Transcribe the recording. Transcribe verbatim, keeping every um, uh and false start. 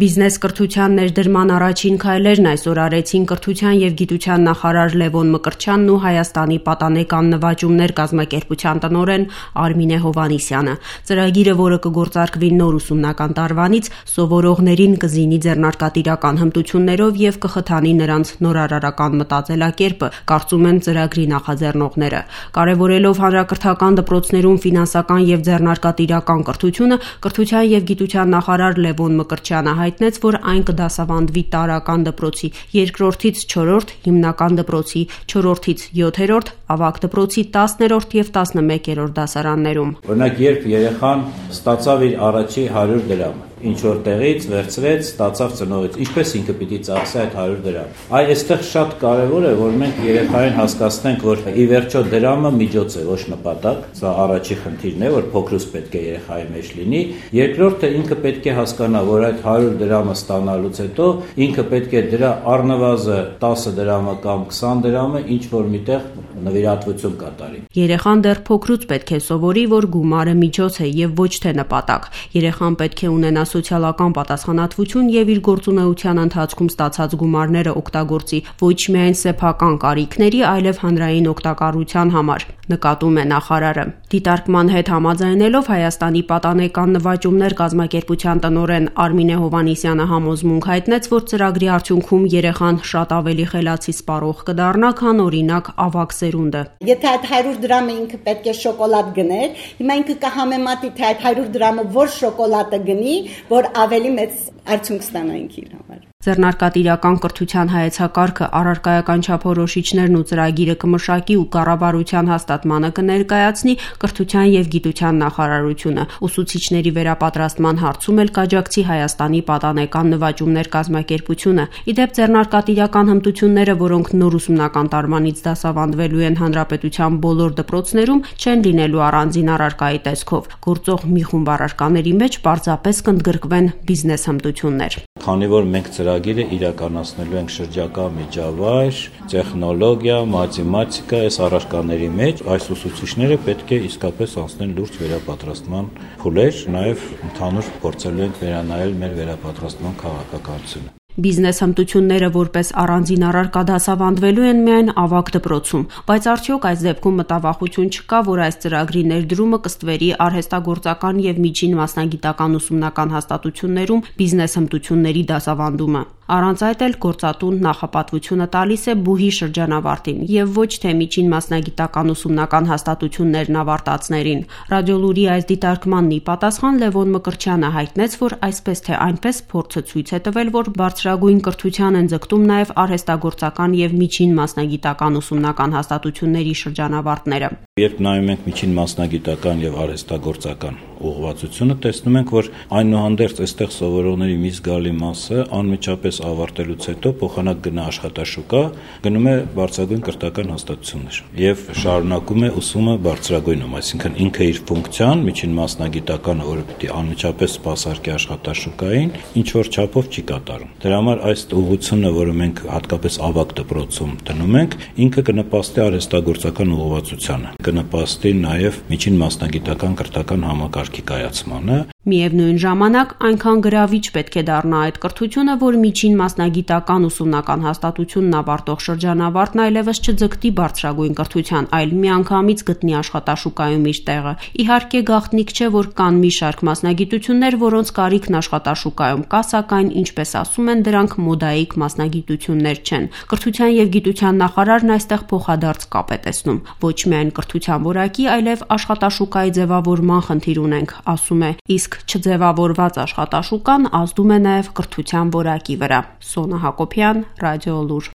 Բիզնես կրթության ներդրման առաջին քայլերն այսօր արեցին կրթության և գիտության նախարար Լևոն Մկրտչյանն ու Հայաստանի պատանեկան նվաճումներ կազմակերպության տնօրեն Արմինե Հովհաննիսյանը։ Ծրագիրը, որը կգործարկվի նոր ուսումնական տարվանից, սովորողներին կզինի ձեռնարկատիրական հմտություններով և կխթանի նրանց նորարարական մտածելակերպը, կարծում են ծրագրի նախաձեռնողները։ Կարևորելով հանրակրթական դպրոցներում ֆինանսական և ձեռնարկատիրական կրթությունը, կրթության և գիտության նախարար Լևոն Մկրտչյանը հայտնեց, որ այն կդասավանդվի տարրական դպրոցի երկրորդից չորրորդ, հիմնական դպրոցի չորրորդից յոթերորդ, ավագ դպրոցի տասներորդ և տասնմեկերորդ դասարաններում։ Օրինակ, երբ երեխան ստացավ իր առաջի հարյուր դրամը, ինչ որ տեղից վերցրեց, ստացավ ծնողից, ինչպես ինքը պիտի ծախսի այդ հարյուր դրամ։ Այ այստեղ շատ կարևոր է, որ մենք երեխային հասկացնենք, որ ի վերջո դրամը միջոց է, ոչ նպատակ։ Սա առաջի խնդիրն է, որ փոքրուց պետք է երեխայի մեջ լինի։ Երկրորդը, ինքը պետք է հասկանա, որ այդ հարյուր դրամը ստանալուց հետո ինքը պետք է դրա առնվազն տասը դրամը կամ քսան դրամը ինչ որ միտեղ նվիրատվություն կատարի։ Երեխան դեռ փոքրուց պետք է սովորի, որ գումարը միջոց է և ոչ թե նպատակ։ Երեխան պետք է ունենա սոցիալական պատասխանատվություն և իր գործունեության ընթացքում ստացած գումարները օգտագործի ոչ միայն սեփական կարիքների, այլև հանրային օգտակարության համար, նկատում է նախարարը։ Դիտարկման հետ համաձայնելով Հայաստանի պատանեկան նվաճումներ կազմակերպության տնօրեն Արմինե Հովհաննիսյանը համոզմունք հայտնեց, որ ծրագրի արդյունքում երեխան շատ ավելի խելացի սպառող կդառնա, քան օրինակ ավագ սերունդը։ Եթե այդ հարյուր դրամը ինքը պետք է շոկոլադ գներ, հիմա ինքը կհամեմատի, թե այդ հարյուր դրամը որ շոկոլադը գնի, որ ավելի մեծ արդյունք ստանա ինքը իր համար։ Ձեռնարկատիրական կրթության հայեցակարգը, առարկայական չափորոշիչներն ու ծրագիրը կմշակի ու կառավարության հաստատմանը կներկայացնի կրթության և գիտության նախարարությունը։ Ուսուցիչների վերապատրաստման հարցում էլ կաջակցի Հայաստանի պատանեկան նվաճումներ կազմակերպությունը։ Ի դեպ, ձեռնարկատիրական հմտությունները, որոնք նոր ուսումնական տարվանից դասավանդվելու են հանրապետության բոլոր դպրոցներում, չեն լինելու առանձին առարկայի տեսքով։ Գործող մի խումբ առարկաների մեջ պարզապես կընդգրկվեն բիզնես հմտություններ։ Քանի որ մենք ծրագիրը իրականացնելու ենք շրջակա միջավայր, տեխնոլոգիա, մաթեմատիկա, այս առարկաների մեջ, այս ուսուցիչները պետք է իսկապես անցնեն լուրջ վերապատրաստման փուլեր, նաև ընդհանուր փորձելու ենք վերանայել մեր վերապատրաստման քաղաքականությունը։ Բիզնես հմտությունները որպես առանձին առարկա դասավանդվելու են միայն ավագ դպրոցում, բայց արդյոք այս դեպքում մտավախություն չկա, որ այս ծրագրի ներդրումը կստվերի արհեստագործական և միջին մասնագիտական ուսումնական հաստատություններում բիզնես հմտությունների դասավանդումը։ Առանց այդ էլ գործատուն նախապատվությունը տալիս է բուհի շրջանավարտին և ոչ թե միջին մասնագիտական ուսումնական հաստատություններն ավարտածներին։ Ռադիոլուրի այս դիտարկմանն ի պատասխան Լևոն Մկրտչյանը հայտնեց, որ այսպես թե այնպես փորձը ցույց է տվել, որ բարձրագույն կրթության են ձգտում նաև արհեստագործական և միջին մասնագիտական ուսումնական հաստատությունների շրջանավարտները։ Երբ նայում ենք միջին մասնագիտական և արհեստագործական ուղղվածությունը, տեսնում ենք, որ այնուհանդերձ այստեղ սովորողների մի զգալի մասը անմիջապես ավարտելուց հետո փոխանակ գնա աշխատաշուկա, գնում է բարձրագույն կրթական հաստատություններ եւ շարունակում է ուսումը բարձրագույնում, այսինքն ինքը իր ֆունկցիան միջին մասնագիտականը, որը պիտի անմիջապես սպասարկի աշխատաշուկային, ինչ որ չափով չի կատարում։ Դրա համար այս ուղղությունը, որը մենք հատկապես ավագ դպրոցում դնում ենք, ինքը կնպաստի արհեստագործական ուղղվածությանը, կնպաստի նաեւ միջին մասնագիտական կրթական համակարգի կայացմանը։ Միևնույն ժամանակ այնքան գրավիչ պետք է դառնա այդ կրթությունը, որ միջին մասնագիտական ուսումնական հաստատությունն ավարտող շրջանավարտն այլևս չձգտի բարձրագույն կրթության, այլ միանգամից գտնի աշխատաշուկայում իր տեղը։ Իհարկե, գաղտնիք չէ, որ կան մի շարք մասնագիտություններ, որոնց կարիքն աշխատաշուկայում կա, սակայն, ինչպես ասում են, դրանք մոդայիկ մասնագիտություններ չեն։ Կրթության և գիտության նախարարն այստեղ փոխադարձ կապ է տեսնում։ Ոչ միայն կրթության որակի, այլև աշխատաշուկայի ձևավորման խնդիր ունենք, ասում է, իսկ չձևավորված աշխատաշուկան ազդում է նաև կրթության որակի վրա։ Սոնա Հակոբյան, Ռադիոլուր։